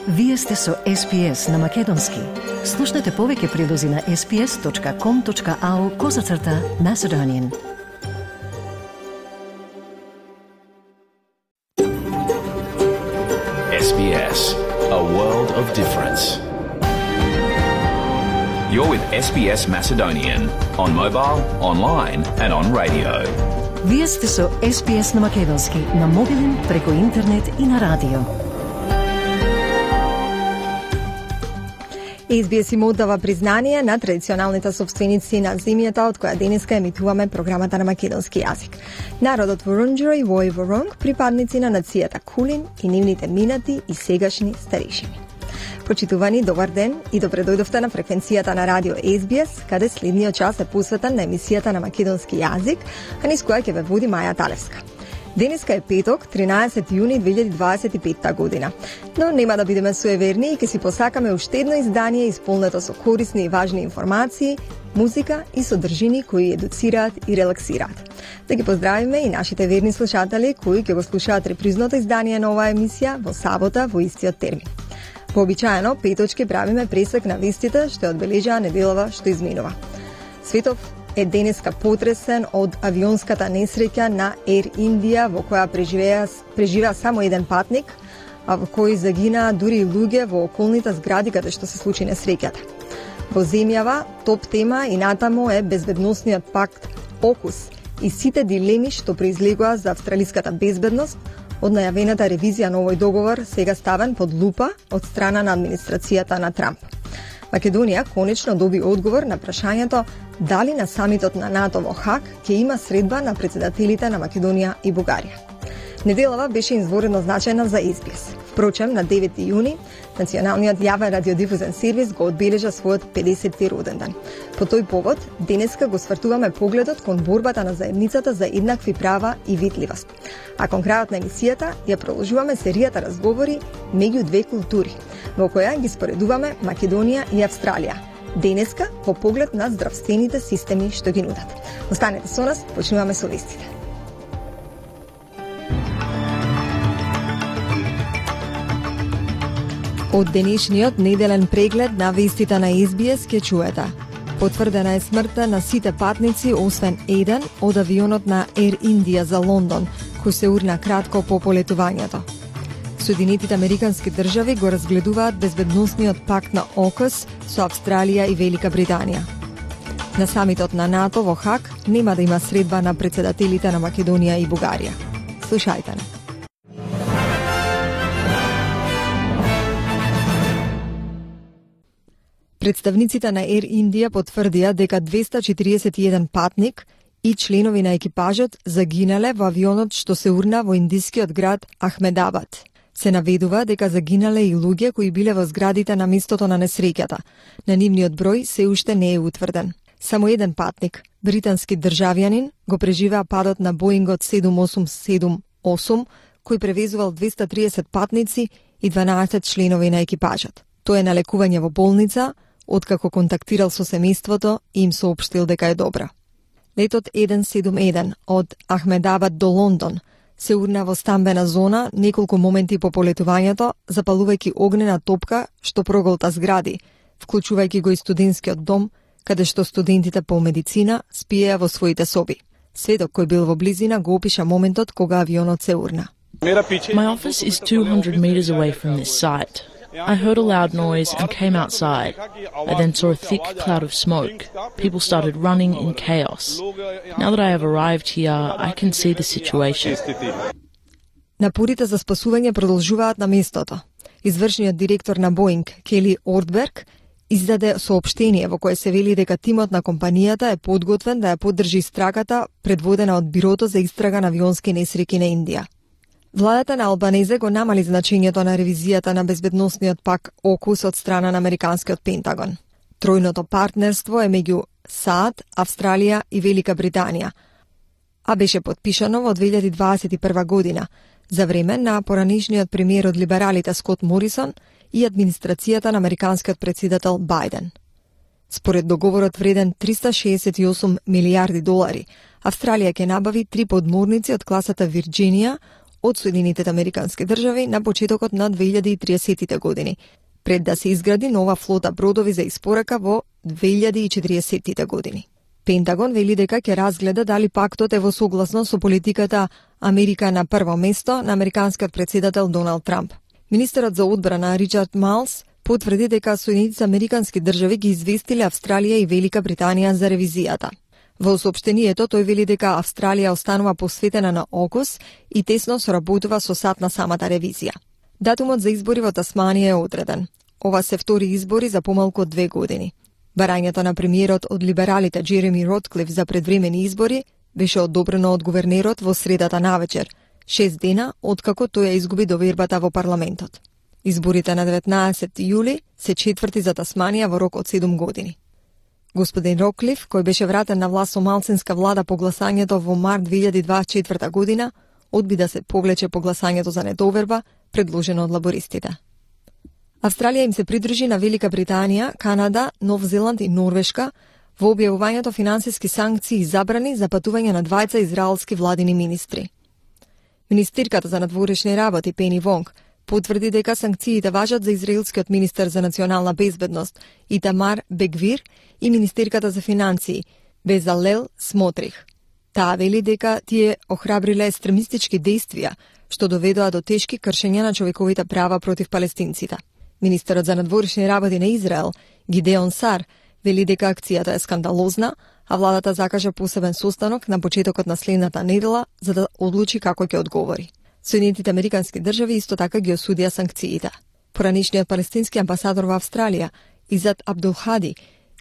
Вие сте со SPS на Македонски. Слушнете повеќе прилози на sps.com.au/Macedonian. SBS, a world of difference. You're with SBS Macedonian on mobile, online and on radio. Вие сте со SPS на Македонски на мобилен, преку интернет и на радио. SBS им оддава признание на традиционалните собственици на земјата од која денеска емитуваме програмата на македонски јазик. Народот Вурундџери во Воронг, припадници на нацијата Кулин и нивните минати и сегашни старешини. Почитувани, добар ден и добре дојдовте на фреквенцијата на радио SBS, каде следниот час е посветен на емисијата на македонски јазик, а низ која ќе ве води Маја Талевска. Денеска е петок, 13 јуни 2025 година. Но нема да бидеме суеверни и ќе си посакаме уште едно издание исполнето со корисни и важни информации, музика и содржини кои едуцираат и релаксираат. Да ги поздравиме и нашите верни слушатели кои ќе го слушаат репризното издание на оваа емисија во сабота во истиот термин. Вообичаено, петочки правиме пресек на вестите што одбележаа неделава што изминува. Светов е денеска потресен од авионската несреќа на Air India во која преживеа само еден патник, а во кој загинаа дури и луѓе во околните згради каде што се случи несреќата. Во земјава, топ тема и натаму е безбедносниот пакт AUKUS и сите дилеми што произлегоа за австралиската безбедност од најавената ревизија на овој договор сега ставен под лупа од страна на администрацијата на Трамп. Македонија конечно доби одговор на прашањето дали на самитот на НАТО во Хаг ќе има средба на председателите на Македонија и Бугарија. Неделава беше изворено значајна за SBS. Впрочем, на 9 јуни, Националниот јавен радиодифузен сервис го одбележа својот 50-ти роден ден. По тој повод, денеска го свртуваме погледот кон борбата на заедницата за еднакви права и видливост. А кон крајот на емисијата ја продолжуваме серијата разговори меѓу две култури, во која ги споредуваме Македонија и Австралија. Денеска по поглед на здравствените системи што ги нудат. Останете со нас, почнуваме со вестите. Од денешниот неделен преглед на вестите на SBS ќе чуете. Потврдена е смртта на сите патници освен еден од авионот на Air India за Лондон, кој се урна кратко по полетувањето. Соединетите американски држави го разгледуваат безбедносниот пакт на AUKUS со Австралија и Велика Британија. На самитот на НАТО во Хаг нема да има средба на председателите на Македонија и Бугарија. Слушајте не. Представниците на Air India потврдија дека 241 патник и членови на екипажот загинале во авионот што се урна во индискиот град Ахмедабад. Се наведува дека загинале и луѓе кои биле во зградите на местото на несреќата. На нивниот број се уште не е утврден. Само еден патник, британски државјанин, го преживеа падот на Боингот 7878, кој превезувал 230 патници и 12 членови на екипажот. Тој е на лекување во болница, откако контактирал со семејството и им соопштил дека е добра. Летот 171 од Ахмедабад до Лондон се урна во стамбена зона неколку моменти по полетувањето, запалувајќи огнена топка што проголта згради, вклучувајќи го и студентскиот дом, каде што студентите по медицина спиеа во своите соби. Сведок кој бил во близина го опиша моментот кога авионот се урна. My office is 200 meters away from this site. I heard a loud noise and came outside. I then saw a thick cloud of smoke. People started running in chaos. Now that I have arrived here, I can see the situation. Напорите за спасување продолжуваат на местото. Извршниот директор на Боинг, Кели Ордберг, издаде соопштение во кое се вели дека тимот на компанијата е подготвен да ја поддржи истрагата предводена од Бирото за истрага на авионски несреќи на Индија. Владата на Албанезе го намали значењето на ревизијата на безбедносниот пакт AUKUS од страна на американскиот Пентагон. Тројното партнерство е меѓу САД, Австралија и Велика Британија, а беше подпишано во 2021 година за време на поранешниот премиер од либералите Скот Морисон и администрацијата на американскиот претседател Бајден. Според договорот вреден 368 милијарди долари, Австралија ќе набави 3 подморници од класата Вирџинија, од Соединетите Американски држави на почетокот на 2030 години, пред да се изгради нова флота бродови за испорака во 2040 години. Пентагон вели дека ќе разгледа дали пактот е во согласно со политиката Америка на прво место на американскиот председател Доналд Трамп. Министерот за одбрана Ричард Малс потврди дека Соединетите Американски држави ги известиле Австралија и Велика Британија за ревизијата. Во соопштението тој вели дека Австралија останува посветена на ОКУС и тесно соработува со САД на самата ревизија. Датумот за избори во Тасманија е одреден. Ова се втори избори за помалку од 2 години. Барањето на премиерот од либералите Джереми Ротклиф за предвремени избори беше одобрено од гувернерот во средата навечер, 6 дена откако тој ја изгуби довербата во парламентот. Изборите на 19 јули се четврти за Тасманија во рок од 7 години. Господин Ротклиф, кој беше вратен на власт со малцинска влада по гласањето во март 2024 година, одби да се повлече по гласањето за недоверба, предложено од лабористите. Австралија им се придружи на Велика Британија, Канада, Нов Зеланд и Норвешка во објавувањето финансиски санкции и забрани за патување на двајца израелски владини министри. Министерката за надворешни работи Пени Вонг потврди дека санкциите важат за израелскиот министер за национална безбедност Итамар Бен-Гвир и министерката за финансии Безалел Смотрих. Таа вели дека тие охрабриле екстремистички действија што доведоа до тешки кршења на човековите права против палестинците. Министерот за надворешни работи на Израел Гидеон Сар вели дека акцијата е скандалозна, а владата закажа посебен состанок на почетокот на следната недела за да одлучи како ќе одговори. Соединетите Американски држави исто така ги осудија санкциите. Поранишниот палестински амбасадор во Австралија Изад Абдулхади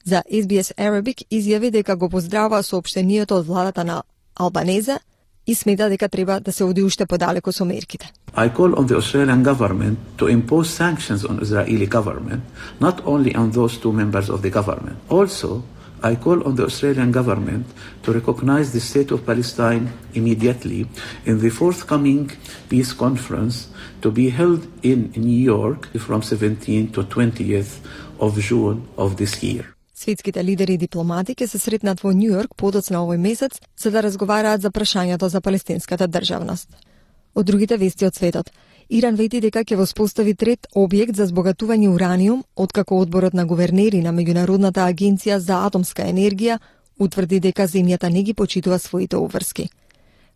за SBS Arabic изјави дека го поздравува соопштението од владата на Албанезе и смета дека треба да се оди уште подалеку со мерките. I call on the Australian government to impose sanctions on Israeli government, not only on those two members of the government. Also, I call on the Australian government to recognize the state of Palestine immediately in the forthcoming peace conference to be held in New York from 17th to 20th of June of this year. Светските лидери и дипломати ќе се сретнат во Њу Јорк подоцна овој месец за да разговараат за прашањето за палестинската државност. Од другите вести од светот, Иран вети дека ќе воспостави трет објект за збогатување ураниум, откако одборот на гувернери на Меѓународната агенција за атомска енергија утврди дека земјата не ги почитува своите обврски.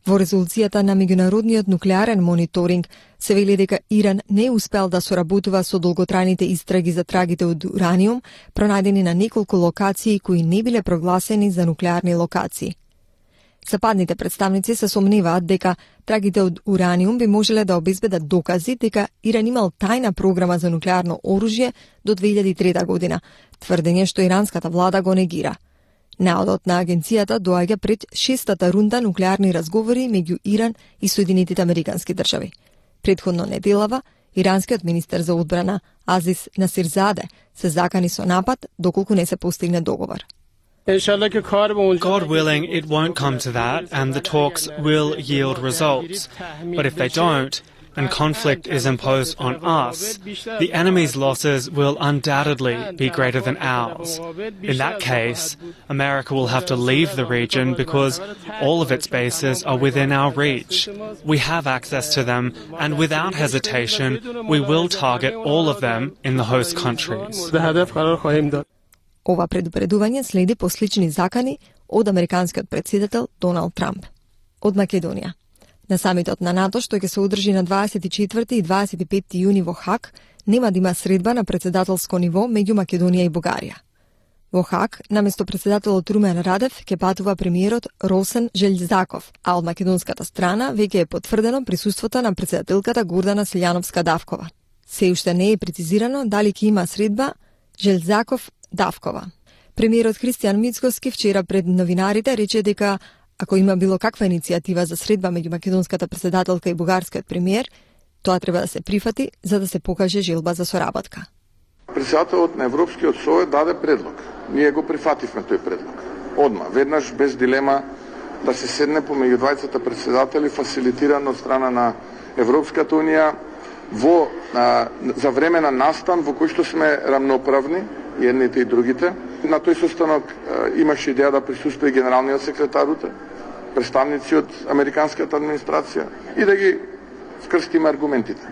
Во резолуцијата на Меѓународниот нуклеарен мониторинг се вели дека Иран не успел да соработува со долготрајните истраги за трагите од ураниум, пронајдени на неколку локации кои не биле прогласени за нуклеарни локации. Западните представници се сомневаат дека трагите од ураниум би можеле да обезбедат докази дека Иран имал тајна програма за нуклеарно оружје до 2003 година, тврдење што иранската влада го негира. Наодот на агенцијата доаѓа пред 6-та рунда нуклеарни разговори меѓу Иран и Соединетите Американски држави. Предходно неделава, иранскиот министер за одбрана Азис Насирзаде се закани со напад доколку не се постигне договор. God willing, it won't come to that, and the talks will yield results. But if they don't, and conflict is imposed on us, the enemy's losses will undoubtedly be greater than ours. In that case, America will have to leave the region because all of its bases are within our reach. We have access to them, and without hesitation, we will target all of them in the host countries. Ова предупредување следи по слични закани од американскиот председател Доналд Трамп. Од Македонија. На самитот на НАТО, што ќе се одржи на 24 и 25 јуни во Хаг, нема да има средба на председателско ниво меѓу Македонија и Бугарија. Во Хаг, наместо председателот Румен Радев, ќе патува премиерот Росен Желјзаков, а од македонската страна веќе е потврдено присуството на председателката Гордана Силјановска-Давкова. Се уште не е прецизирано дали ќе има средба Желјзаков-Давкова. Премиерот Христијан Мицкоски вчера пред новинарите рече дека ако има било каква иницијатива за средба меѓу македонската председателка и бугарскиот премиер, тоа треба да се прифати за да се покаже желба за соработка. Председателот на Европскиот совет даде предлог. Ние го прифативме тој предлог. Одма, веднаш без дилема да се седне помеѓу двајцата председатели фасилитирано од страна на Европската унија за време на настан во кој што сме рамноправни, едните и другите. На тој состанок имаше идеја да присуствува генералниот секретар, представници од американската администрација и да ги скрстиме аргументите.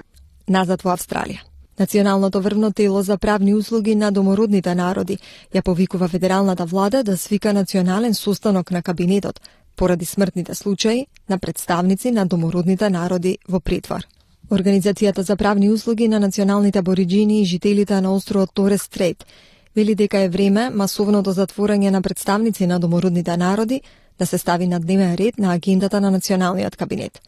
Назад во Австралија. Националното врвно тело за правни услуги на домородните народи ја повикува федералната влада да свика национален состанок на кабинетот поради смртните случаи на представници на домородните народи во притвор. Организацијата за правни услуги на националните абориџини и жителите на островот Торес Стрейт вели дека е време масовното затворање на представници на домородните народи да се стави на дневен ред на агендата на националниот кабинет.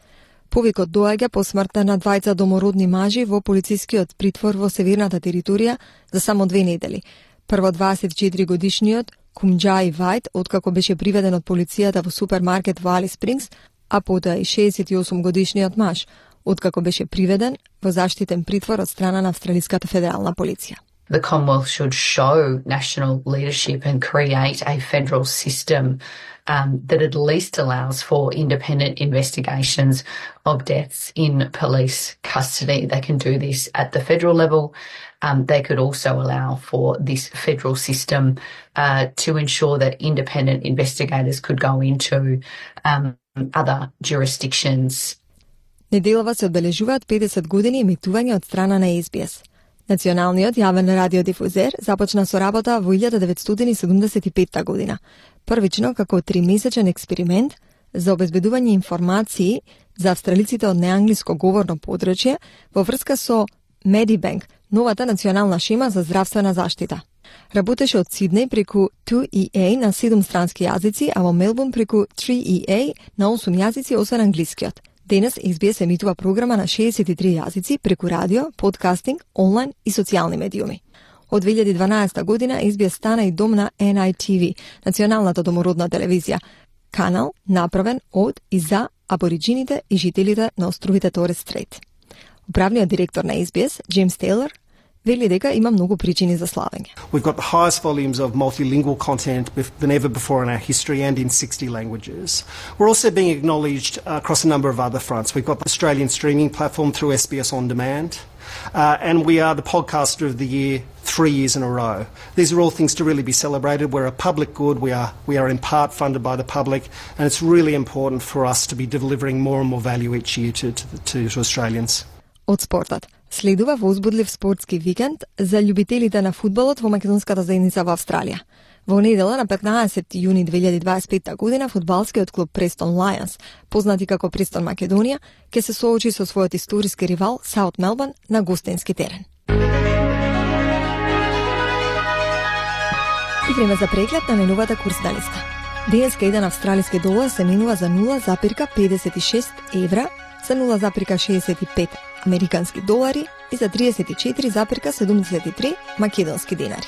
Повикот доаѓа по смртта на двајца домородни мажи во полицискиот притвор во северната територија за само 2 недели. Прво 24-годишниот Кумџаи Вајт, откако беше приведен од полицијата во супермаркет во Алис Спрингс, а потоа и 68-годишниот маж, откако беше приведен во заштитен притвор од страна на Австралиската федерална полиција. The Commonwealth should show national leadership and create a federal system that at least allows for independent investigations of deaths in police custody. They can do this at the federal level. They could also allow for this federal system to ensure that independent investigators could go into other jurisdictions. Неделава се одбележуваат 50 години емитување од страна на SBS. Националниот јавен радиодифузер започна со работа во 1975 година, првично како 3-месечен експеримент за обезбедување информации за австралиците од неанглиско говорно подрачје во врска со Medibank, новата национална шема за здравствена заштита. Работеше од Сиднеј преку 2EA на 7 странски јазици, а во Мелбурн преку 3EA на 8 јазици освен англискиот. Денес SBS емитува програма на 63 јазици преку радио, подкастинг, онлайн и социјални медиуми. Од 2012 година SBS стана и дом на NITV, националната домородна телевизија, канал направен од и за абориџините и жителите на островите Торес Стрейт. Управниот директор на SBS, Джеймс Тейлор, вели дека има многу причини за славење. We've got the highest volumes of multilingual content than ever before in our history and in 60 languages. We're also being acknowledged across a number of other fronts. We've got the Australian streaming platform through SBS On Demand, and we are the podcaster of the year 3 years in a row. These are all things to really be celebrated. We're a public good. We are in part funded by the public, and it's really important for us to be delivering more and more value each year to Australians. Од спортот. Следува возбудлив спортски викенд за љубителите на фудбалот во македонската заедница во Австралија. Во недела на 15 јуни 2025 година фудбалскиот клуб Престон Лајонс, познати како Престон Македонија, ќе се соочи со својот историски ривал Саут Мелбурн на гостински терен. И време за преглед на најновата курсна листа. Денеска еден австралиски долар се менува за 0,56 евра, за 0,65 американски долари и за 34,73 македонски денари.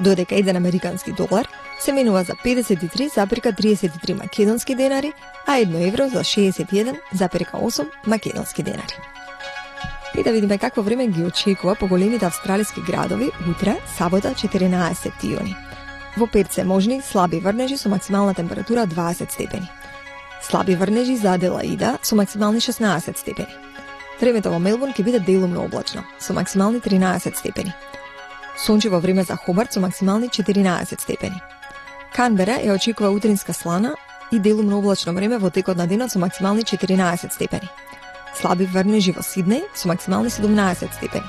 Додека еден американски долар се менува за 53,33 македонски денари, а 1 евро за 61,8 македонски денари. И да видиме какво време ги очекува по големите австралиски градови утре, сабота 14 јуни. Во Перт се можни слаби врнежи со максимална температура 20 степени. Слаби врнежи за Аделаида со максимални 16 степени. Времето во Мелбурн ќе биде делумно облачно, со максимални 13 степени. Сончево време за Хобарт со максимални 14 степени. Канбера ја очекува утринска слана и делумно облачно време во текот на денот со максимални 14 степени. Слаби врнежи во Сиднеј со максимални 17 степени.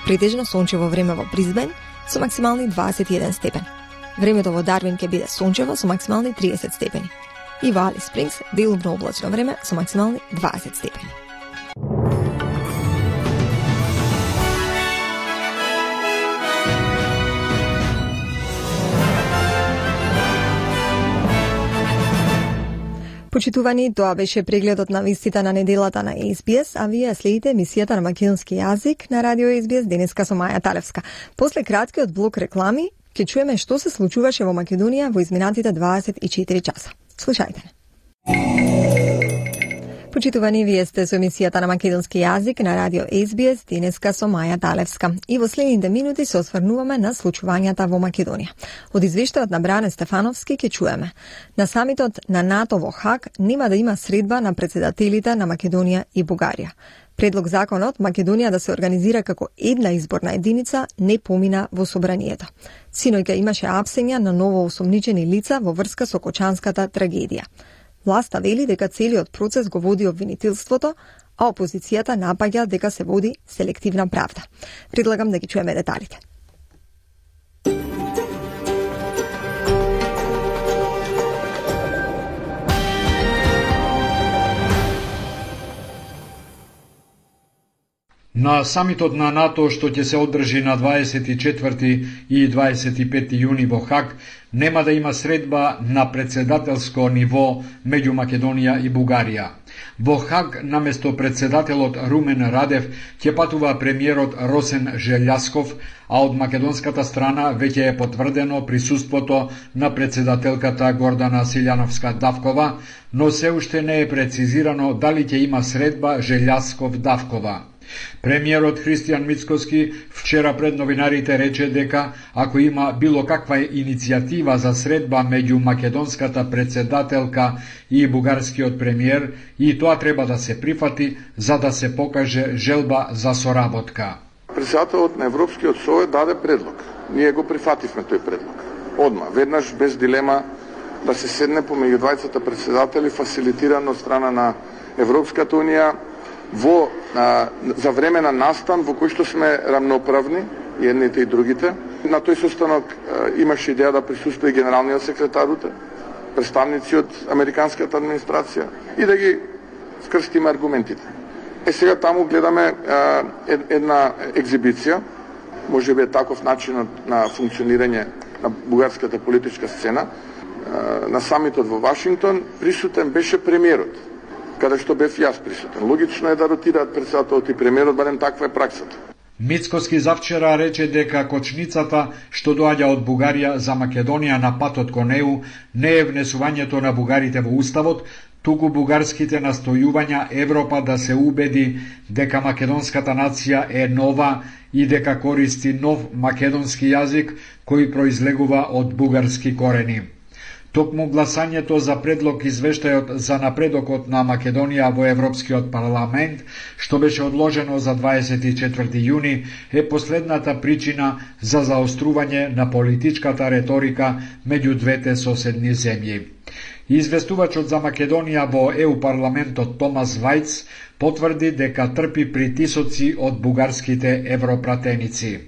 Претежно сончево време во Брисбен со максимални 21 степени. Времето во Дарвин ќе биде сончево со максимални 30 степени. И во Алис Спрингс делумно облачно време со максимални 20 степени. Почитувани, тоа беше прегледот на вестите на неделата на SBS, а вие следите емисијата на македонски јазик на радио SBS денеска со Маја Талевска. После краткиот блок реклами, ќе чуеме што се случуваше во Македонија во изминатите 24 часа. Слушајте не. Почитувани, вие сте со емисијата на македонски јазик на радио SBS денеска со Маја Талевска. И во следните минути се осврнуваме на случувањата во Македонија. Од извештајот на Бране Стефановски ќе чуеме. На самитот на НАТО во Хаг нема да има средба на председателите на Македонија и Бугарија. Предлог законот Македонија да се организира како една изборна единица не помина во собранието. Синоќа имаше апсења на ново осомничени лица во врска со Кочанската трагедија. Власта вели дека целиот процес го води обвинителството, а опозицијата напаѓа дека се води селективна правда. Предлагам да ги чуеме деталите. На самитот на НАТО, што ќе се одржи на 24 и 25 јуни во Хаг, нема да има средба на председателско ниво меѓу Македонија и Бугарија. Во Хаг, наместо председателот Румен Радев, ќе патува премиерот Росен Желјасков, а од македонската страна веќе е потврдено присуството на председателката Гордана Силјановска-Давкова, но се уште не е прецизирано дали ќе има средба Желјасков-Давкова. Премиерот Христијан Мицкоски вчера пред новинарите рече дека ако има било каква иницијатива за средба меѓу македонската председателка и бугарскиот премиер, и тоа треба да се прифати за да се покаже желба за соработка. Председателот на Европскиот совет даде предлог. Ние го прифативме тој предлог. Одма, веднаш без дилема да се седне помеѓу двајцата председатели фасилитирано од страна на Европската унија за време на настан во кој што сме рамноправни, едните и другите. На тој состанок имаше идеја да присуствува и генералниот секретар, представници од американската администрација и да ги скрстиме аргументите. Сега таму гледаме една екзибиција, можеби е таков начинот на функционирање на бугарската политичка сцена. На самитот во Вашингтон присутен беше премиерот, каде што бев јас присутен. Логично е да ротираат председателот и премиерот, барем таква е праксата. Мицкоски завчера рече дека кочницата што доаѓа од Бугарија за Македонија на патот кон ЕУ не е внесувањето на бугарите во уставот, туку бугарските настојувања Европа да се убеди дека македонската нација е нова и дека користи нов македонски јазик кој произлегува од бугарски корени. Токму гласањето за предлог извештајот за напредокот на Македонија во Европскиот парламент, што беше одложено за 24 јуни, е последната причина за заострување на политичката реторика меѓу двете соседни земји. Известувачот за Македонија во ЕУ парламентот Томас Вајц потврди дека трпи притисоци од бугарските европратеници.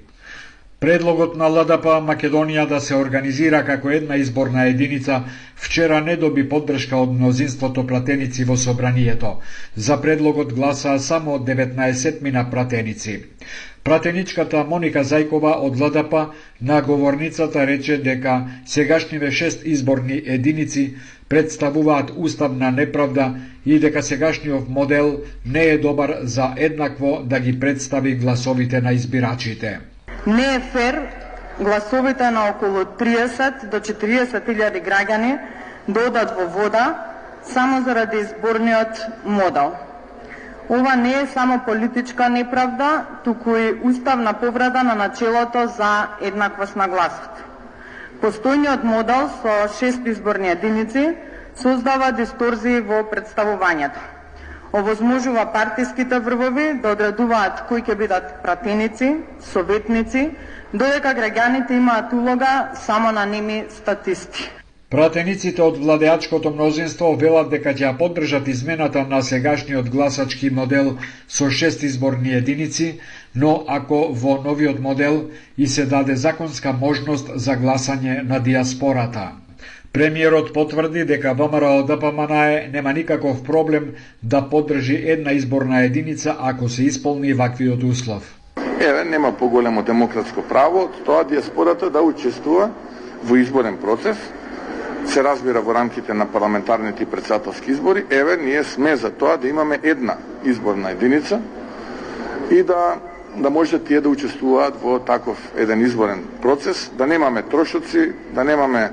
Предлогот на ЛДП Македонија да се организира како една изборна единица вчера не доби поддршка од мнозинството пратеници во собранието. За предлогот гласаа само 19 пратеници. Пратеничката Моника Зајкова од ЛДП на говорницата рече дека сегашниве 6 изборни единици представуваат уставна неправда и дека сегашниот модел не е добар за еднакво да ги представи гласовите на избирачите. Не е фер гласовите на околу 30 до 40.000 граѓани да одат во вода само заради изборниот модел. Ова не е само политичка неправда, туку и уставна повреда на начелото за еднаквост на гласот. Постојниот модел со 6 изборни единици создава дисторзии во представувањето. Овозможува партиските врвови да одредуваат кои ќе бидат пратеници, советници, додека граѓаните имаат улога само на неми статисти. Пратениците од владеачкото мнозинство велат дека ќе поддржат измената на сегашниот гласачки модел со 6 изборни единици, но ако во новиот модел и се даде законска можност за гласање на диаспората. Премиерот потврди дека ВМРО-ДПМНЕ нема никаков проблем да поддржи една изборна единица ако се исполни ваквиот услов. Нема поголемо демократско право од тоа диаспората да учествува во изборен процес. Се разбира во рамките на парламентарните и председателски избори. Ние сме за тоа да имаме една изборна единица и да може тие да учествуваат во таков еден изборен процес, да немаме трошоци, да немаме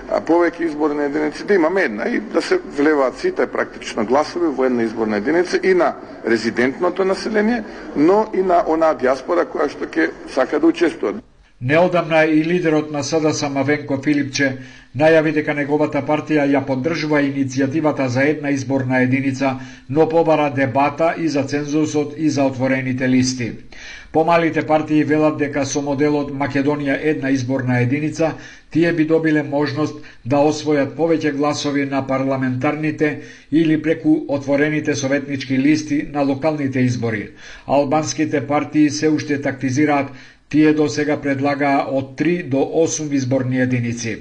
повеќе изборни единици, да имаме една и да се влеваат сите практично гласови во една изборна единица и на резидентното население, но и на онаа диаспора која што ќе сака да учествува. Неодамна и лидерот на СДС Мавенко Филипче најави дека неговата партија ја поддржува иницијативата за една изборна единица, но побара дебата и за цензусот и за отворените листи. Помалите партии велат дека со моделот Македонија една изборна единица, тие би добиле можност да освојат повеќе гласови на парламентарните или преку отворените советнички листи на локалните избори. Албанските партии се уште тактизираат, тие досега предлагаа од 3 до 8 изборни единици.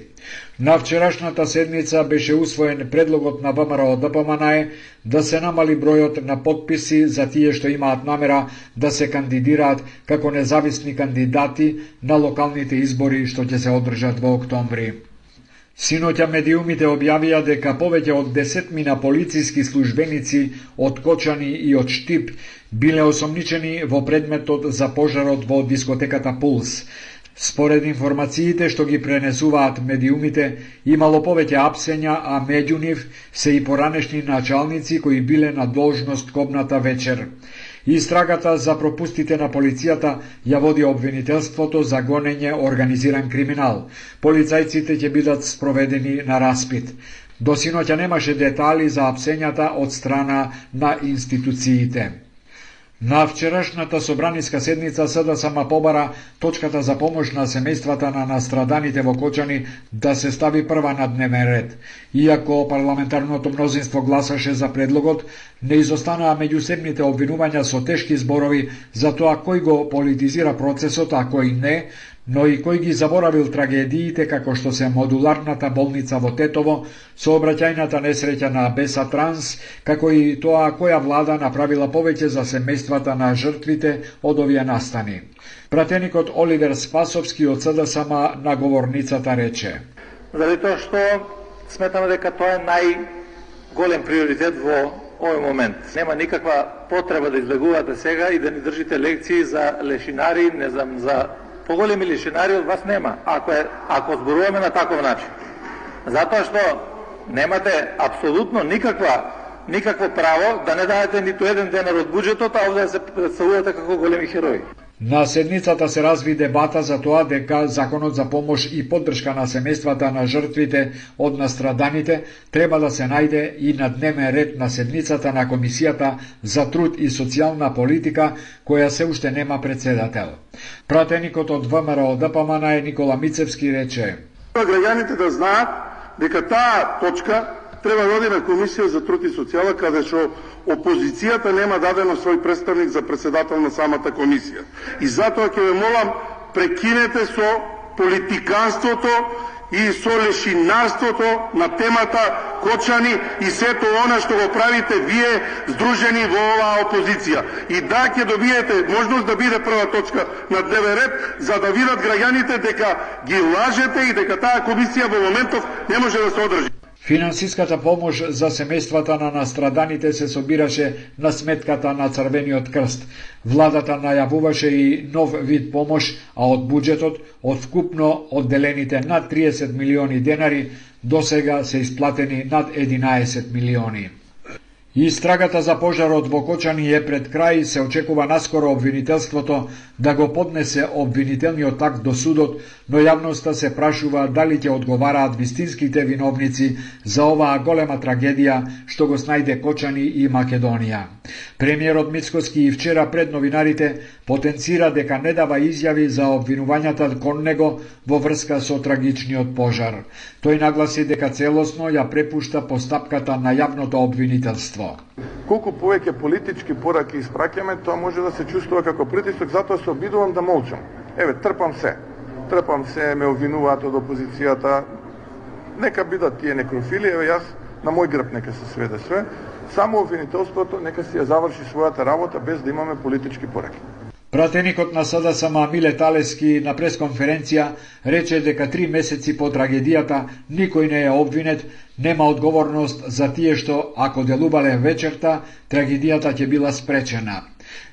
На вчерашната седница беше усвоен предлогот на ВМРО-ДПМНЕ да се намали бројот на потписи за тие што имаат намера да се кандидираат како независни кандидати на локалните избори што ќе се одржат во октомври. Синоќа медиумите објавија дека повеќе од 10 полициски службеници од Кочани и од Штип биле осомничени во предметот за пожарот во дискотеката Пулс. Според информациите што ги пренесуваат медиумите, имало повеќе апсења, а меѓу нив се и поранешни началници кои биле на должност кобната вечер. Истрагата за пропустите на полицијата ја води обвинителството за гонење организиран криминал. Полицајците ќе бидат спроведени на распит. До синоќа немаше детали за апсењата од страна на институциите. На вчерашната собраниска седница СДСМ побара точката за помош на семејствата на настраданите во Кочани да се стави прва на дневен ред. Иако парламентарното мнозинство гласаше за предлогот, не изостанаа меѓусебните обвинувања со тешки зборови за тоа кој го политизира процесот, а кој не, но и кој ги заборавил трагедиите како што се модуларната болница во Тетово, сообраќајната несреќа на Беса Транс, како и тоа која влада направила повеќе за семејствата на жртвите од овие настани. Пратеникот Оливер Спасовски од СДСМ на говорницата рече: Заради тоа што сметаме дека тоа е најголем приоритет во овој момент. Нема никаква потреба да избегувате сега и да ни држите лекции за лешинари, не знам, за поголеми лишинари од вас нема, ако зборуваме на таков начин. Затоа што немате апсолутно никакво право да не дадете ниту еден денар од буџетот, а овде да се представувате како големи херои. На седницата се разви дебата за тоа дека законот за помош и поддршка на семејствата на жртвите од настраданите треба да се најде и на дневен ред на седницата на Комисијата за труд и социјална политика, која се уште нема председател. Пратеникот од ВМРО-ДПМНЕ Никола Мицевски рече: Граѓаните да знаат дека таа точка треба да оди на Комисија за труд и социјала, каде што опозицијата нема дадено свој представник за председател на самата комисија. И затоа ќе ве молам, прекинете со политиканството и со лешинарството на темата Кочани и сето она што го правите вие здружени во оваа опозиција. И да, ќе добиете можност да биде прва точка на дневен ред, за да видат граѓаните дека ги лажете и дека таа комисија во моментов не може да се одржи. Финансиската помош за семејствата на настраданите се собираше на сметката на Црвениот крст. Владата најавуваше и нов вид помош, а од буџетот, од вкупно одделените над 30 милиони денари, досега се исплатени над 11 милиони. Истрагата за пожарот во Кочани е пред крај, се очекува наскоро обвинителството да го поднесе обвинителниот акт до судот, но јавноста се прашува дали ќе одговараат вистинските виновници за оваа голема трагедија што го снајде Кочани и Македонија. Премиерот Мицкоски и вчера пред новинарите потенцира дека не дава изјави за обвинувањата кон него во врска со трагичниот пожар. Тој нагласи дека целосно ја препушта постапката на јавното обвинителство. Колку повеќе политички пораки испраќаме, тоа може да се чувствува како притисок, затоа се обидувам да молчам. Еве, трпам се, ме обвинуваат од опозицијата. Нека бидат тие некрофили, еве јас на мој грб нека се сведе све. Само обвинителството нека си ја заврши својата работа без да имаме политички пораки. Пратеникот на СДСМ Миле Талески на пресконференција рече дека 3 месеци по трагедијата никој не е обвинет, нема одговорност за тие што, ако делувале вечерта, трагедијата ќе била спречена.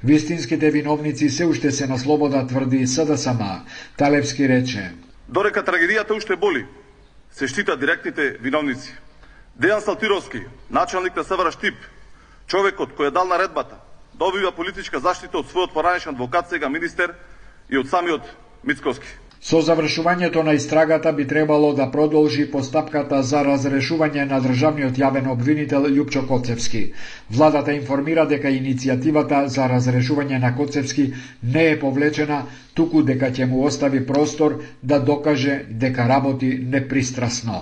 Вистинските виновници се уште се на слобода, тврди СДСМ. Талевски рече: Дорека трагедијата уште боли, се штитат директните виновници. Дејан Салтировски, началник на СВР Штип, човекот кој е дал наредбата, добива политичка заштита од својот поранешен адвокат, сега министер, и од самиот Мицкоски. Со завршувањето на истрагата би требало да продолжи постапката за разрешување на државниот јавен обвинител Љупчо Коцевски. Владата информира дека иницијативата за разрешување на Коцевски не е повлечена, туку дека ќе му остави простор да докаже дека работи непристрасно.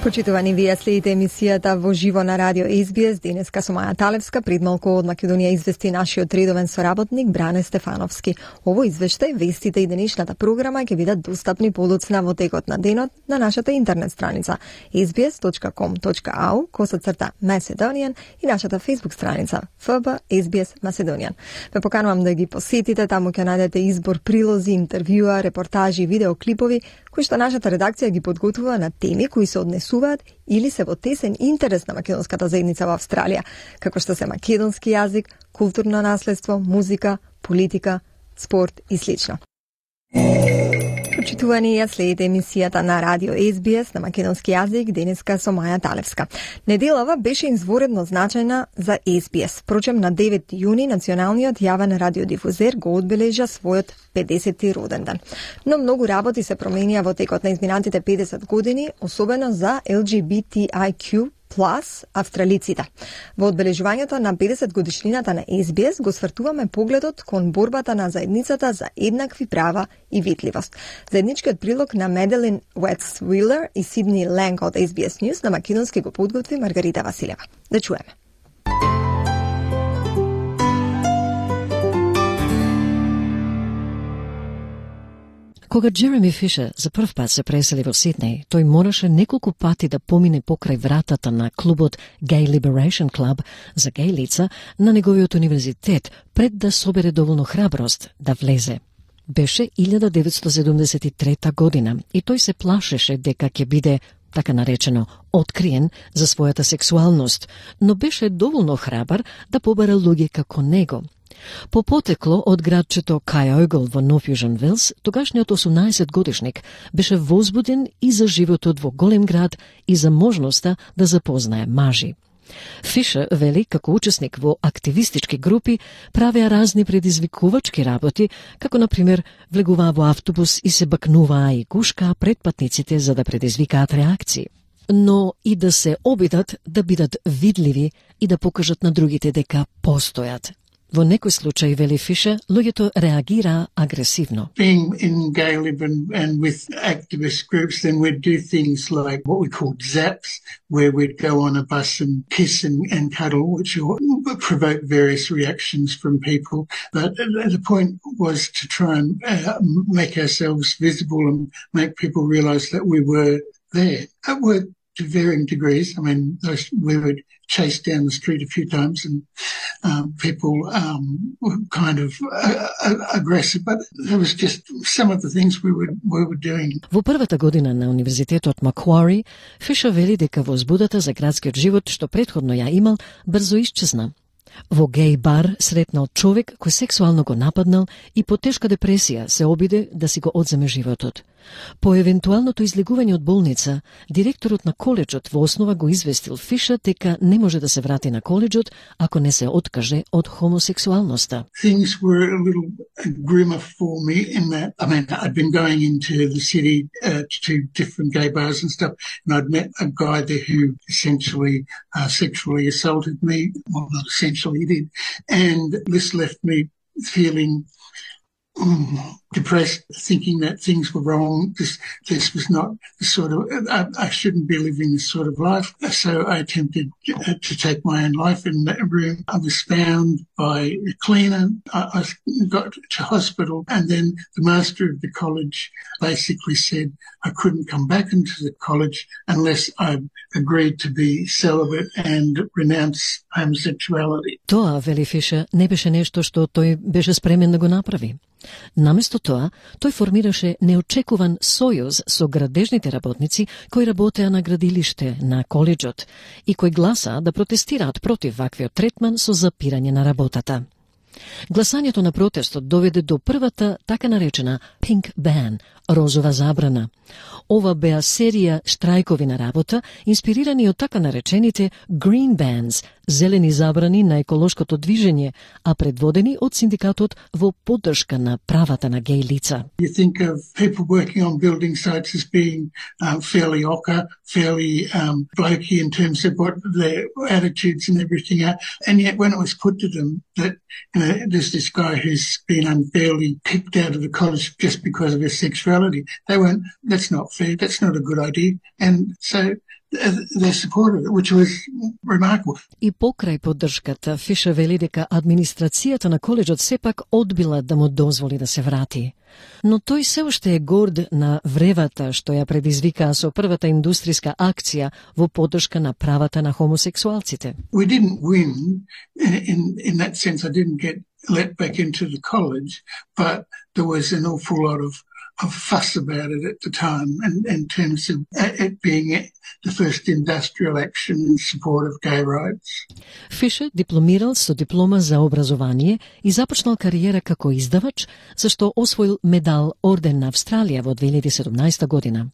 Почитувани, вие следите емисијата во живо на радио SBS, денеска со Маја Талевска. Пред малку од Македонија извести нашиот редовен соработник Бране Стефановски. Ово извештај, вестите и денешната програма ќе бидат достапни подоцна во текот на денот на нашата интернет страница sbs.com.au/Macedonian и нашата Facebook страница FB SBS Macedonian. Ве поканувам да ги посетите, таму ќе најдете избор прилози, интервјуа, репортажи и видеоклипови кои што нашата редакција ги подготвува на теми кои се однесуваат или се во тесен интерес на македонската заедница во Австралија, како што се македонски јазик, културно наследство, музика, политика, спорт и слично. Почитувани, ја следите емисијата на радио SBS на македонски јазик, денеска со Маја Талевска. Неделава беше изворедно значајна за SBS. Впрочем, на 9 јуни националниот јавен радиодифузер го одбележа својот 50-ти роден ден. Но многу работи се променија во текот на изминатите 50 години, особено за LGBTIQ+ австралиците. Во одбележувањето на 50 годишнината на SBS го свртуваме погледот кон борбата на заедницата за еднакви права и видливост. Заедничкиот прилог на Меделин Уетс-Уилер и Сидни Ленг од SBS News на македонски го подготви Маргарита Василева. Да чуеме. Кога Джереми Фишер за прв пат се пресели во Сиднеј, тој мораше неколку пати да помине покрај вратата на клубот Gay Liberation Club за геј лица на неговиот универзитет пред да собере доволно храброст да влезе. Беше 1973 година и тој се плашеше дека ќе биде, така наречено, откриен за својата сексуалност, но беше доволно храбар да побара луѓе како него. По потекло од градчето Кайогл во Нов Јужен Велс, тогашниот 18-годишник беше возбуден и за животот во голем град и за можноста да запознае мажи. Фишер вели како учесник во активистички групи правеа разни предизвикувачки работи, како например влегуваа во автобус и се бакнуваа и гушкаа пред патниците за да предизвикаат реакции, но и да се обидат да бидат видливи и да покажат на другите дека постојат. Во некој случај, вели Фишер, луѓето реагираа агресивно. Being in gay lib and with activist groups, then we'd do things like what we called zaps, where we'd go on a bus and kiss and cuddle, which would provoke various reactions from people. But the point was to try and make ourselves visible and make people realise that we were there. It worked to varying degrees. I mean, we would chase down the street a few times and people were kind of aggressive, but it was just some of the things we were doing. Во првата година на Универзитетот Маквари, Фишер вели дека возбудата за градскиот живот што претходно ја имал, брзо исчезна. Во геј бар сретнал човек кој сексуално го нападнал и по тешка депресија се обиде да си го одземе животот. По евентуалното излегување од болница, директорот на коледжот во основа го известил Фишер дека не може да се врати на коледжот ако не се откаже од хомосексуалноста. Things were a little grimmer for me in that, I mean, I'd been going into the city to different gay bars and stuff, and I'd met a guy there who essentially sexually assaulted me. Well, not essentially, he did. And this left me feeling depressed, thinking that things were wrong. This was not the sort of, I shouldn't be living this sort of life. So I attempted to take my own life in that room. I was found by a cleaner. I got to hospital, and then the master of the college basically said I couldn't come back into the college unless I agreed to be celibate and renounce homosexuality. Тоа, вели Фишер, не беше нешто што тој беше спремен да го направи. Наместо тоа, тој формираше неочекуван сојуз со градежните работници кои работеа на градилиште на коледжот и кои гласаа да протестираат против ваквиот третман со запирање на работата. Гласањето на протестот доведе до првата така наречена Pink Ban Розова забрана. Ова беа серија штрајкови на работа, инспирирани од така наречените Green Bans, зелени забрани на еколошкото движење, а предводени од синдикатот во поддршка на правата на геј лица. You think of people working on building sites as being fairly ochre, fairly blokey in terms of what their attitudes and everything are, and yet when it was put to them that there's this guy who's been unfairly kicked out of the college just because of his sexuality, they went, that's not fair, that's not a good idea, and so they supported it, which was remarkable. И покрај поддршката, Фишер вели дека администрацијата на коледжот сепак одбила да му дозволи да се врати. Но тој се уште е горд на вревата што ја предизвикаа со првата индустријска акција во поддршка на правата на хомосексуалците. We didn't win in that sense. I didn't get let back into the college, but there was an awful lot of fuss about it at the time in terms of it being the first industrial action in support of gay rights. Фишер дипломирал со диплома за образование и започнал кариера како издавач, зашто освоил медал Орден на Австралија во 2017 година.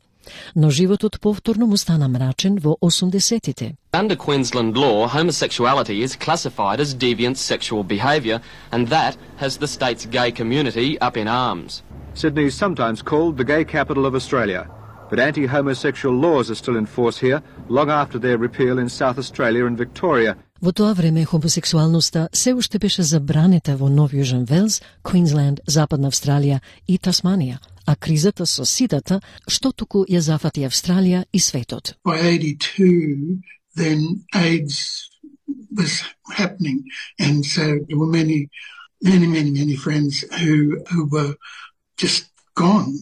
Но животот повторно му стана мрачен во 80-тите. Under Queensland law, homosexuality is classified as deviant sexual behaviour, and that has the state's gay community up in arms. Sydney is sometimes called the gay capital of Australia, but anti-homosexual laws are still in force here, long after their repeal in South Australia and Victoria. Во тоа време хомосексуалноста се уште беше забранета во Нов Јужен Велс, Квинсленд, Западна Австралија и Тасманија, а кризата со сидата што туку ја зафати Австралија и светот. By 82, then AIDS was happening, and so there were many friends who were just gone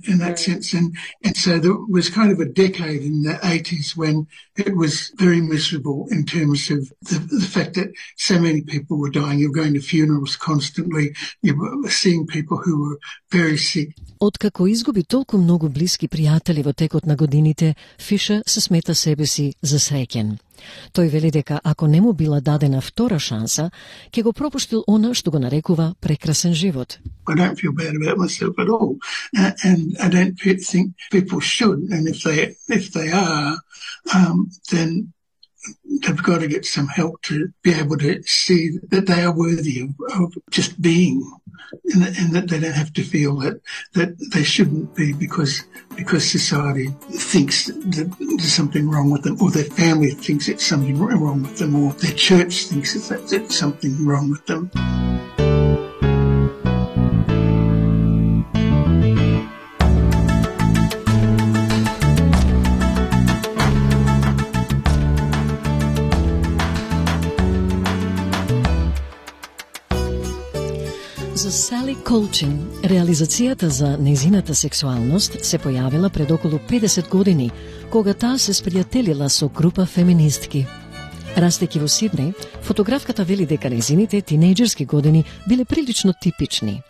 in that sense, and so there was kind of a decade in the 80s when it was very miserable in terms of the fact that so many people were dying. You're going to funerals constantly, you were seeing people who were very sick. Откако изгуби толку многу блиски пријатели во текот на годините, Фишер се смета себе си за среќен. Тој вели дека ако не му била дадена втора шанса, ќе го пропуштил она што го нарекува прекрасен живот. I don't feel bad about myself at all, and I don't think people should, and if they are, then they've got to get some help to be able to see that they are worthy of just being, and that they don't have to feel that they shouldn't be because society thinks that there's something wrong with them, or their family thinks it's something wrong with them, or their church thinks it's something wrong with them. За Сали Колчин, реализацијата за нејзината сексуалност се појавила пред околу 50 години, кога таа се спријателила со група феминистки. Растејќи во Сиднеј, фотографката вели дека нејзините тинејџерски години биле прилично типични.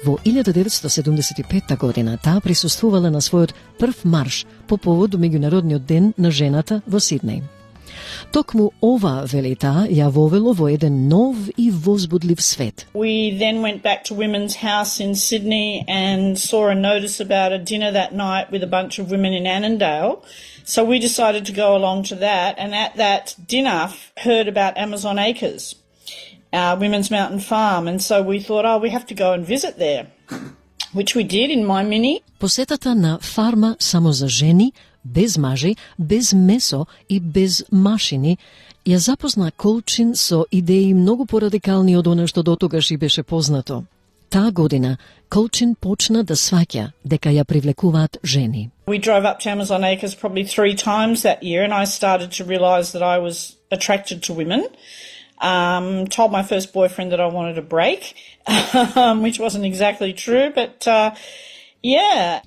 Во 1975 година таа присуствувала на својот прв марш по повод до Меѓународниот ден на жената во Сиднеј. Токму ова, вели таа, ја вовело во еден нов и возбудлив свет. We then went back to Women's House in Sydney and saw a notice about a dinner that night with a bunch of women in Annandale. So we decided to go along to that, and at that dinner heard about Amazon Acres, Women's Mountain Farm, and so we thought, we have to go and visit there, which we did in my mini. Посетата на фарма само за жени, без мажи, без месо и без машини, ја запозна Колчин со идеи многу порадикални од она што дотогаш и беше познато. Таа година Колчин почна да сваќа дека ја привлекуваат жени. We drove up to Amazon Acres probably 3 times that year, and I started to realise that I was attracted to women. Told my first boyfriend that I wanted a break, which wasn't exactly true, but yeah.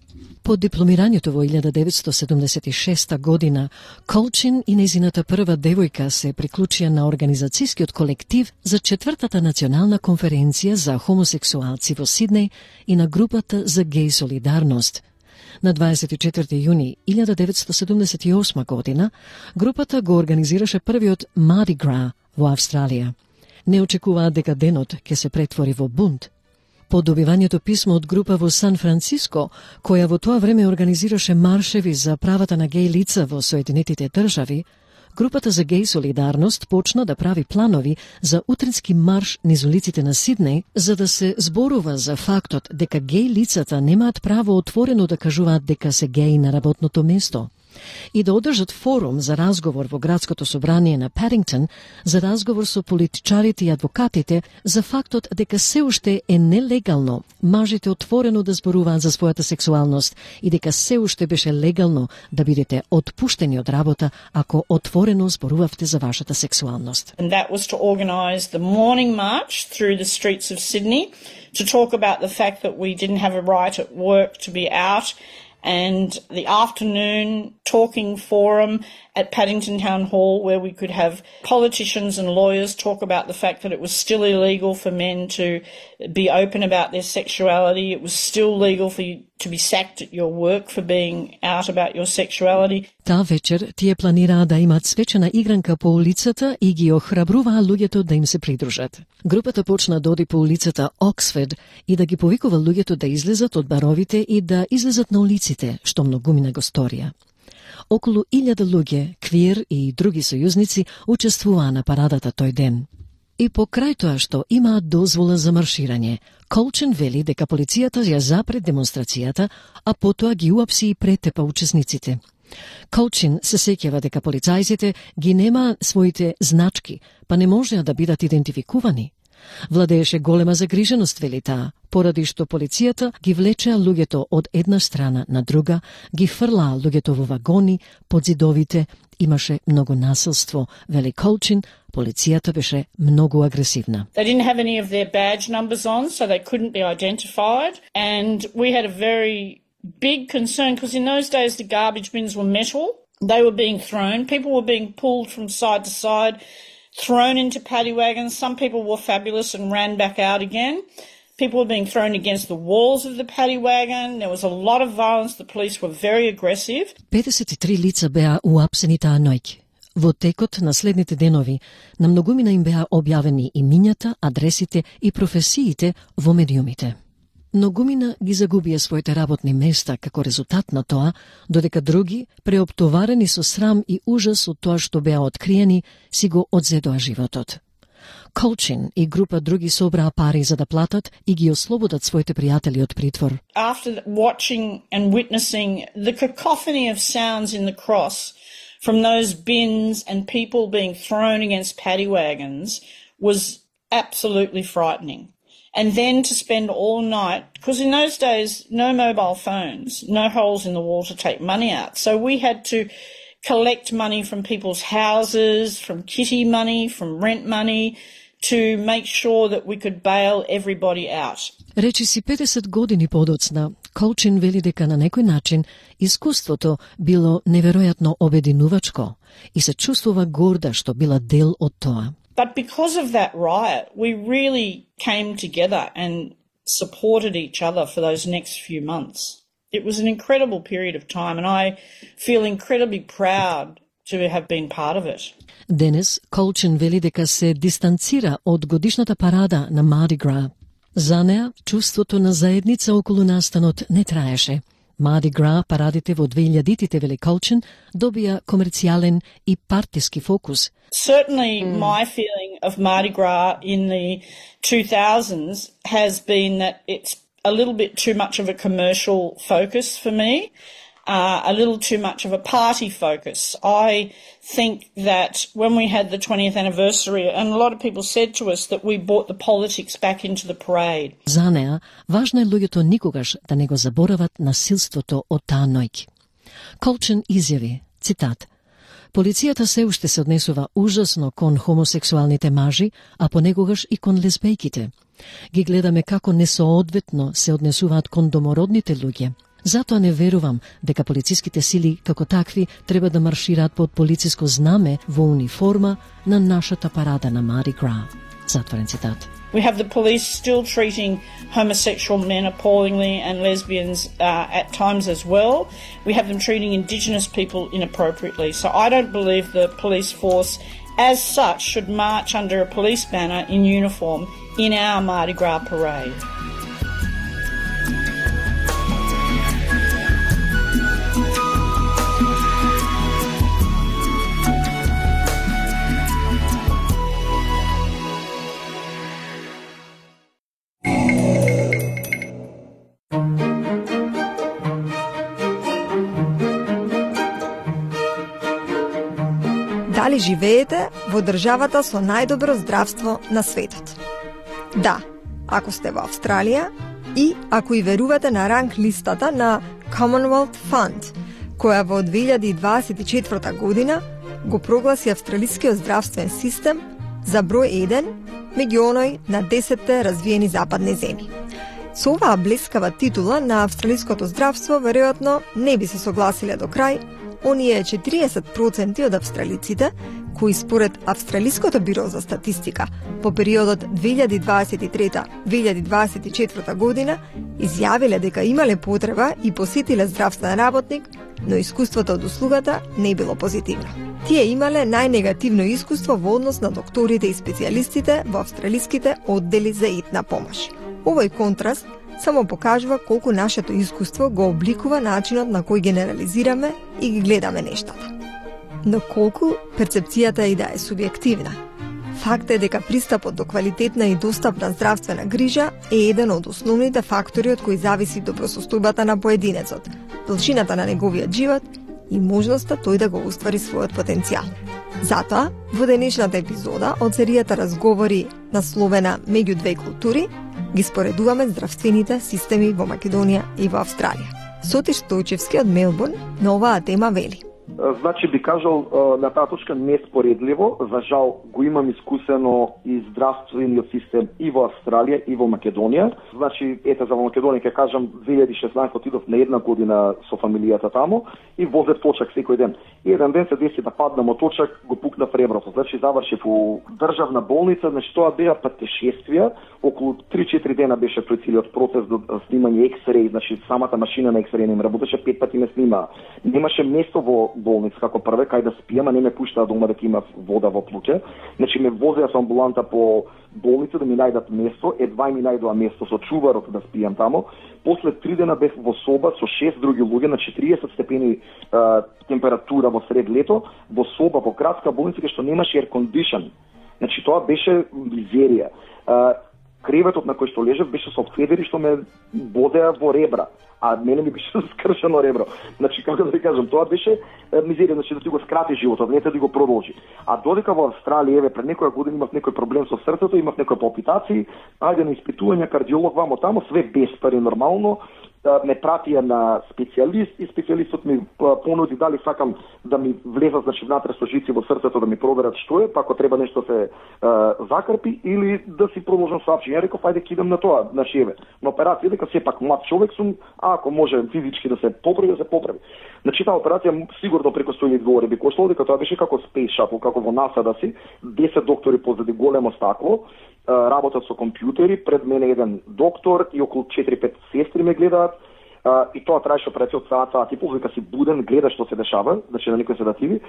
По дипломирањето во 1976 година, Колчин и нејзината прва девојка се приклучија на организацијскиот колектив за 4-та национална конференција за хомосексуалци во Сиднеј и на групата за геј солидарност. На 24 јуни 1978 година, групата го организираше првиот Mardi Gras во Австралија. Не очекуваат дека денот ќе се претвори во бунт. По добивањето писмо од група во Сан Франциско, која во тоа време организираше маршеви за правата на геј лица во Соединетите држави, групата за геј солидарност почна да прави планови за утрински марш низ улиците на Сиднеј, за да се зборува за фактот дека геј лицата немаат право отворено да кажуваат дека се геј на работното место, и да одржат форум за разговор во градското собрание на Падингтон, за разговор со политичарите и адвокатите за фактот дека се уште е нелегално мажите отворено да зборуваат за својата сексуалност и дека се уште беше легално да бидете отпуштени од работа ако отворено зборувавте за вашата сексуалност. And that was to organise the morning march through the streets of Sydney to talk about the fact that we didn't have a right at work to be out, and the afternoon talking forum at Paddington Town Hall where we could have politicians and lawyers talk about the fact that it was still illegal for men to be open about their sexuality. It was still legal for you to be sacked at your work for being out about your sexuality. Таа вечер тие планираа да имаат свечена игранка по улицата и ги охрабруваа луѓето да им се придружат. Групата почна да оди по улицата Оксфорд и да ги повикува луѓето да излезат од баровите и да излезат на улиците, што многумина го сторија. Околу 1000 луѓе, квир и други сојузници учествуваа на парадата тој ден. И покрај тоа што имаат дозвола за марширање, Колчин вели дека полицијата ја запре демонстрацијата, а потоа ги уапси и претепа учесниците. Колчин се сеќава дека полицајците ги нема своите значки, па не можеа да бидат идентификувани. Владееше голема загриженост, вели таа, поради што полицијата ги влечеа луѓето од една страна на друга, ги фрлаа луѓето во вагони, под зидовите, имаше многу насилство, вели Колчин, полицијата беше многу агресивна. They didn't have any of their badge numbers on, so they couldn't be identified, and we had a very big concern because in those days the garbage bins were metal. They were being thrown. People were being pulled from side to side, thrown into paddy wagons. Some people were fabulous and ran back out again. People were being thrown against the walls of the paddy wagon. There was a lot of violence. The police were very aggressive. 53 лица беа уапсени таа ноќ. Во текот на следните денови, на многумина им беа објавени имињата, адресите и професиите во медиумите. Многумина ги загубија своите работни места како резултат на тоа, додека други, преоптоварени со срам и ужас од тоа што беа откриени, си го одзедоа животот. Колчин и група други собраа пари за да платат и ги ослободат своите пријатели од притвор. After watching and witnessing the cacophony of sounds in the cross from those bins and people being thrown against paddy wagons was absolutely frightening. And then to spend all night, because in those days, no mobile phones, no holes in the wall to take money out. So we had to collect money from people's houses, from kitty money, from rent money, to make sure that we could bail everybody out. Речи си 50 години подоцна, Колчин вели дека на некој начин искуството било неверојатно обединувачко и се чувствува горда што била дел од тоа. But because of that riot, we really came together and supported each other for those next few months. It was an incredible period of time, and I feel incredibly proud to have been part of it. Денес, Колчин вели дека се дистанцира од годишната парада на Mardi Gras. За неа, чувството на заедница околу настанот не траеше. Mardi Gras, парадите во 2000-тите, вели Колчин, добија комерцијален и партиски фокус. Certainly my feeling of Mardi Gras in the 2000s has been that it's a little bit too much of a commercial focus for me, a little too much of a party focus. I think that when we had the 20th anniversary, and a lot of people said to us that we brought the politics back into the parade. За неа, важно е луѓето никогаш да не го заборават насилството од таа ноќ. Колчин изјави, цитат, полицијата се уште се однесува ужасно кон хомосексуалните мажи, а понекогаш и кон лесбејките. Ги гледаме како несоодветно се однесуваат кон домородните луѓе. Затоа не верувам дека полициските сили како такви треба да маршираат под полициско знаме во униформа на нашата парада на Mardi Gras. Затворен цитат. We have the police still treating homosexual men appallingly and lesbians at times as well. We have them treating Indigenous people inappropriately. So I don't believe the police force as such should march under a police banner in uniform in our Mardi Gras parade. дали живеете во државата со најдобро здравство на светот. Да, ако сте во Австралија и ако и верувате на ранг листата на Commonwealth Fund, која во 2024 година го прогласи австралискиот здравствен систем за број 1 меѓу оној на 10 развиени западни земји. Со оваа блескава титула на австралиското здравство веројатно не би се согласиле до крај оние 40% од австралиците кои според Австралиското биро за статистика по периодот 2023-2024 година изјавиле дека имале потреба и посетиле здравствен работник, но искуството од услугата не било позитивно. Тие имале најнегативно искуство во однос на докторите и специјалистите во австралиските оддели за итна помош. Овој контраст само покажува колку нашето искуство го обликува начинот на кој генерализираме и ги гледаме нештата. Но колку перцепцијата и да е субјективна. Факт е дека пристапот до квалитетна и достапна здравствена грижа е еден од основните фактори од кои зависи добросостојбата на поединецот, должината на неговиот живот и можноста тој да го уствари својот потенцијал. Затоа, во денешната епизода од серијата разговори насловена Меѓу две култури, ги споредуваме здравствените системи во Македонија и во Австралија. Соти Стојчевски од Мелбурн на оваа тема вели. Значи би кажал на таа точка неспоредливо, за жал го имам искусено и здравствениот систем и во Австралија и во Македонија. Значи ете за во Македонија ќе кажам 2016 отидов на една година со фамилијата таму и возев точак секој ден. И еден ден се деси да паднам од точак, го пукнав реброто. Значи завршив у државна болница, значи тоа беа патешествија, околу 3-4 дена беше тој целиот процес до снимање X-ray, значи самата машина на X-ray не ме работеше, 5 пати ме снима. Немаше место во болница како прве кај да спиам, а не ме пуштаа дома дека има вода во плуќе. Значи ме возеа со амбуланта по болница да ми најдат место, едва ми најдоа место со чуварот да спиам таму. После 3 дена бев во соба со 6 други луѓе на 40 степени температура во сред лето, во соба во градска болница што немаше air condition. Значи тоа беше мизерија. Креветот на кој што лежев беше со федери што ме бодеа во ребра, а мене ми беше скршено ребро. Значи, како да ви кажам, тоа беше мизерија, значи да ти го скрати животот, не да го продолжи. А додека во Австралија, еве, пред некоја година имав некој проблем со срцето, имав некои палпитации, ајде на испитување, кардиолог вамо тамо, све без пари нормално, ме пратија на специјалист и специјалистот ми понуди дали сакам да ми влезат, значи, внатре со жици во срцето да ми проверат што е, па ако треба нешто се закрпи или да си продолжам со апчиња. Реков, ајде кидам на тоа, значи еве, на операција, дека сепак млад човек сум, ако може физички да се поправи, да се поправи. Значи таа операција сигурно преку 100.000 долари би коштало, дека тоа беше како Space Shuttle, како во НАСА да си, 10 доктори позади големо стакло, работат со компјутери, пред мене еден доктор и околу 4-5 сестри ме гледаат, и тоа траеше операција од саат и пол, дека си буден, гледаш што се дешава, значи на некои седативи,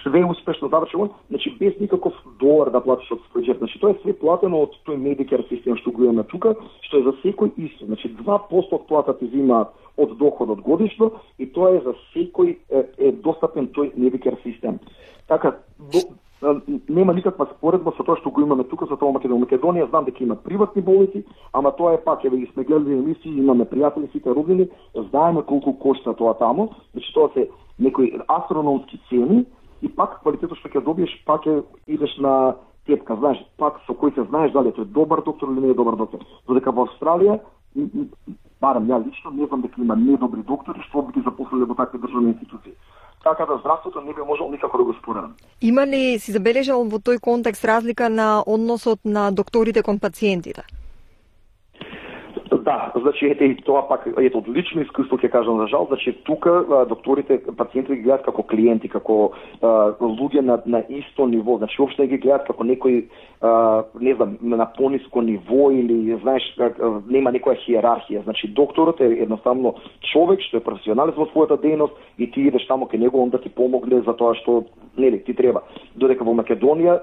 све успешно завршено, значи без никаков долар да платиш од свој џеб. Значи тоа е све платено од тој Medicare систем што го имаме тука, што е за секој исто. Значи 2% од плата ти зима од доходот годишно и тоа е за секој е достапен тој Medicare систем. Така нема никаква споредба со тоа што го имаме тука, со тоа Македонија. Македонија знам дека има приватни болници, ама тоа е пак, еве ги сме гледали емисии, имаме пријатели, сите роднини, знаеме колку кошта тоа таму, значи тоа се некои астрономски цени и пак квалитетот што ќе добиеш, пак идеш на тепка, знаеш, пак со кој се знаеш дали тој добар доктор или не е добар доктор. Додека во Австралија, барем ја лично, не знам дека има недобри доктори што би ги запослиле во такви државни институции. Така да здравството не би можел никако да го споредам. Има ли си забележал во тој контекст разлика на односот на докторите кон пациентите? Да, значи ете и тоа пак ете од лично искуство ќе кажам за жал, значи тука докторите пациентите ги гледаат како клиенти, како луѓе на исто ниво, значи воопшто ги гледаат како некој не знам, на пониско ниво или знаеш нема некоја хиерархија. Значи докторот е едноставно човек што е професионалист во својата дејност и ти идеш таму кај него он да ти помогне за тоа што нели ти треба. Додека во Македонија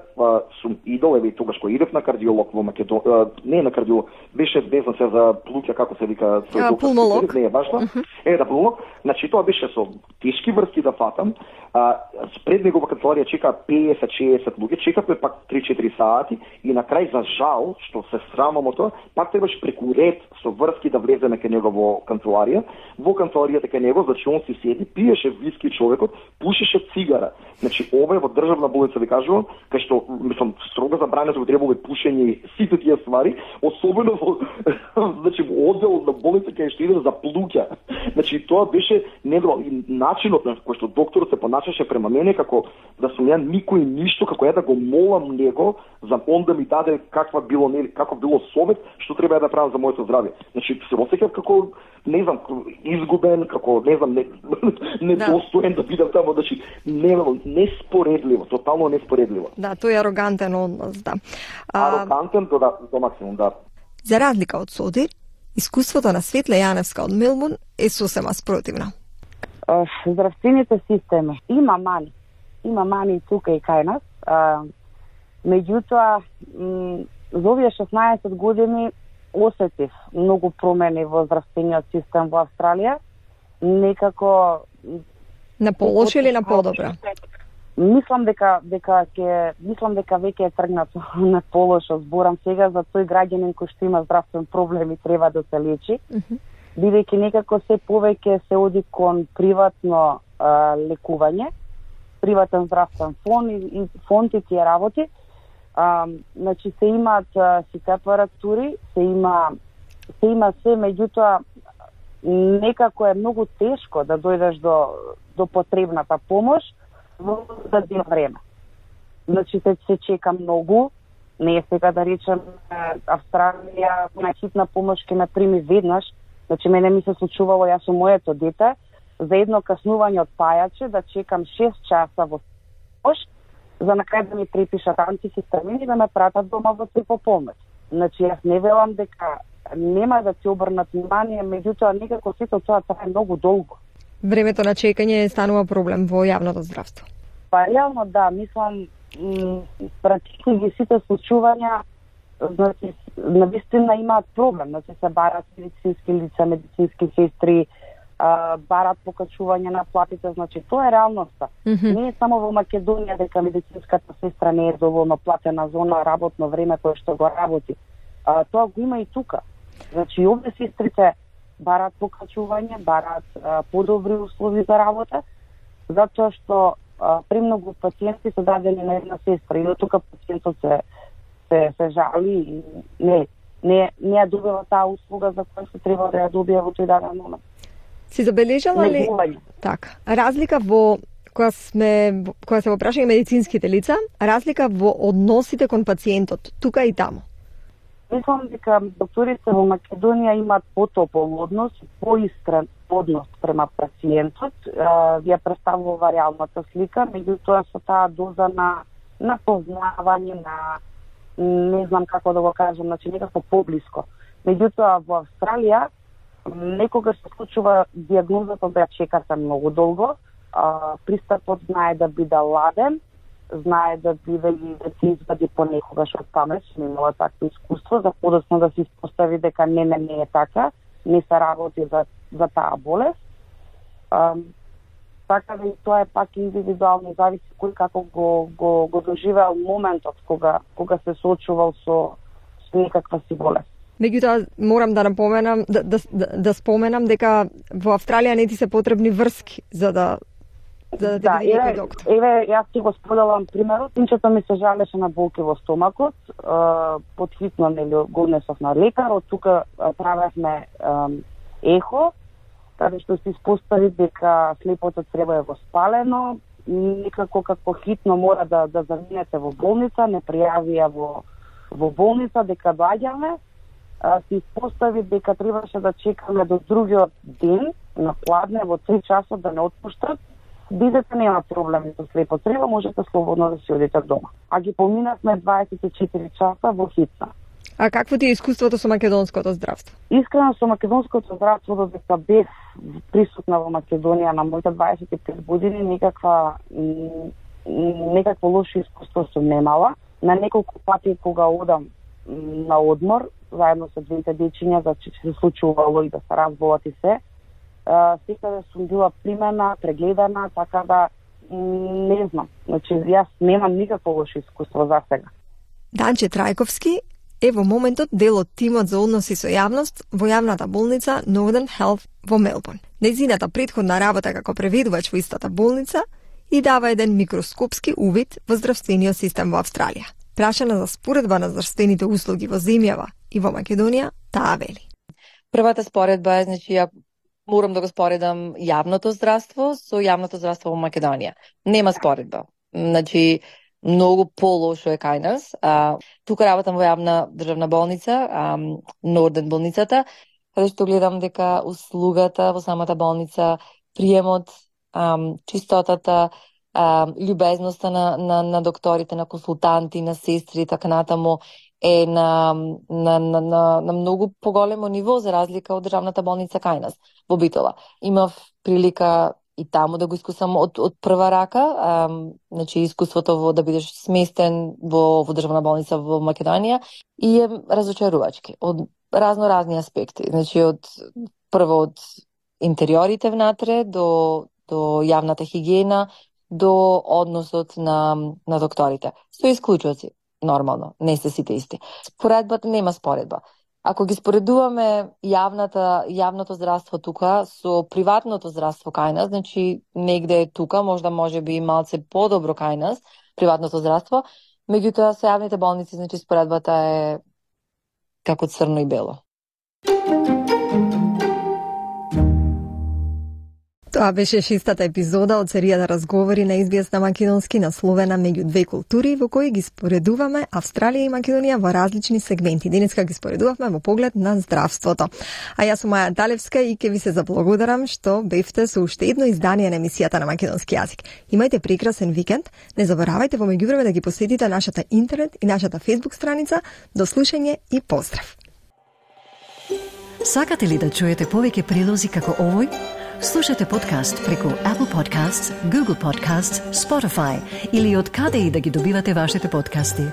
сум идол, еве тогаш кога идев на кардиолог во Македонија, не на кардиолог, беше безно се за луѓе како се вика пулмолог, не е важно. Пулмолог. Значи тоа беше со тешки врски да фатам. Пред негова канцеларија чека 50-60 луѓе, чекавме пак 3-4 сати и на крај за жал, што се срамам од тоа, пак требаше преку ред со врски да влеземе кај него во канцеларија. Во канцеларијата кај него, значи он си седи, пиеше виски човекот, пушеше цигара. Значи ова е во државна болница, ви кажувам, кај што мислам строго забрането требува пушење и сите тие ствари, особено во значи во оддел на болница кај што идеш за плуќа. Значи тоа беше недоволно и начинот на кој што докторот се поначаше према мене како да сум ја никој ништо, како ја да го молам него за он да ми даде каква било како било совет што треба да правам за моето здравје. Значи се осеќав како не знам изгубен, како не знам недостоен да бидам таму, значи неспоредливо, тотално неспоредливо. Да, тој е арогантен однос, да. Арогантен до максимум, да. За разлика од Содир, искуството на Светле Јаневска од Мелбурн е сосема спротивно. Здравствените системи има мани и тука и кај нас. Меѓутоа, за овие 16 години осетив многу промени во здравствениот систем во Австралија. Некако на полошо или на подобро? Мислам дека веќе е тргнато на полошо. Зборам сега за тој граѓанин кој што има здравствен проблем и треба да се лечи. Бидејќи некако се повеќе се оди кон приватно лекување, приватен здравствен фонд и тие работи. Значи се имаат сите апаратури, се има се, меѓутоа некако е многу тешко да дојдеш до потребната помош во дадено време. Значи се чека многу, не е сега да речем Австралија на хитна помош ќе ме прими веднаш. Значи мене ми се случувало јас со моето дете за едно каснување од пајаче да чекам 6 часа во помош, за на крај да ми препишат антихистамини и да ме пратат дома во помош. Значи јас не велам дека нема да ти обрнат внимание, меѓутоа некако сето тоа трае многу долго. Времето на чекање станува проблем во јавното здравство. Па реално да, мислам практично ги сите случувања, значи навистина имаат проблем, значи се барат медицински лица, медицински сестри, барат покачување на платите, значи тоа е реалноста. Не е само во Македонија дека медицинската сестра не е доволно платена за она работно време кое што го работи. Тоа го има и тука. Значи овде сестрите барат покачување, барат подобри услови за работа, затоа што премногу пациенти се дадени на една сестра и до тука пациентот се жали и не ја добива таа услуга за која се треба да ја добие во тој даден момент. Си забележала ли така разлика во кога се во прашање медицинските лица, разлика во односите кон пациентот тука и таму? Мислам дека докторите во Македонија имаат потопол однос, поискрен однос према пациентот. Ја представува реалната слика, меѓутоа со таа доза на познавање, на не знам како да го кажам, значи некако поблиско. Меѓутоа во Австралија некогаш се случува дијагнозата да ја чекате многу долго, пристапот знае да биде ладен, знае да биде и да се извади понекогаш од памет, што имала такво искуство, за подоцна да се испостави дека не е така, не се работи за таа болест. Така да и тоа е пак индивидуално, зависи кој како го доживеал моментот кога се соочувал со некаква си болест. Меѓутоа, морам да напоменам, да споменам дека во Австралија не ти се потребни врски за да да видите доктор. Еве, јас ти го споделам примерот. Синчето ми се жалеше на болки во стомакот, подхитно го однесов на лекар, од тука правевме ехо, каде што се испостави дека слепото црево е воспалено, некако како хитно мора да заминете во болница, не пријавија во болница дека доаѓаме, се испостави дека требаше да чекаме до другиот ден на пладне во 3 часот да не отпуштат. Бидете нема проблеми со слепо црево, можете слободно да си одите дома. А ги поминавме 24 часа во хитна. А какво ти е искуството со македонското здравство? Искрено со македонското здравство, додека бев присутна во Македонија на моите 25 години, некакво лошо искуство сум немала. На неколку пати кога одам на одмор, заедно со двете дечиња, зашто се случувало и да се разболат и се. Секаде сум била примена, прегледана, така да не знам. Значи, јас немам никакво лошо искуство за сега. Данче Трајковски е во моментот дел од тимот за односи со јавност во јавната болница Northern Health во Мелбурн. Нејзината претходна работа како преведувач во истата болница и дава еден микроскопски увид во здравствениот систем во Австралија. Прашана за споредба на здравствените услуги во земјава и во Македонија, таа вели. Првата споредба е, значи, ја морам да го споредам јавното здравство со јавното здравство во Македонија. Нема споредба. Значи, многу полошо е кај нас. Тука работам во јавна државна болница, Норден болницата, каде што гледам дека услугата во самата болница, приемот, чистотата, љубезноста на докторите, на консултанти, на сестри, така натаму, е на многу поголемо ниво за разлика од државната болница кај нас во Битола. Имав прилика и таму да го искусам од прва рака, значи искуството во да бидеш сместен во државна болница во Македонија и е разочарувачки од разни аспекти. Значи прво од интериорите внатре до јавната хигиена, до односот на докторите. Со исклучоци, нормално, не се сите исти. Споредбата нема споредба. Ако ги споредуваме јавното здравство тука со приватното здравство кај нас, значи негде е тука, може би малце подобро кај нас, приватното здравство, меѓутоа со јавните болници, значи споредбата е како црно и бело. Тоа беше шестата епизода од серијата разговори на SBS на македонски насловена меѓу две култури, во кои ги споредуваме Австралија и Македонија во различни сегменти. Денеска ги споредувавме во поглед на здравството. А јас сум Маја Талевска и ќе ви се заблагодарам што бевте со уште едно издание на емисијата на македонски јазик. Имајте прекрасен викенд. Не заборавајте во меѓувреме да ги посетите нашата интернет и нашата Facebook страница. До слушање и поздрав. Сакате ли да чуете повеќе прилози како овој? Слушате подкаст преку Apple Podcasts, Google Podcasts, Spotify или од каде и да ги добивате вашите подкасти.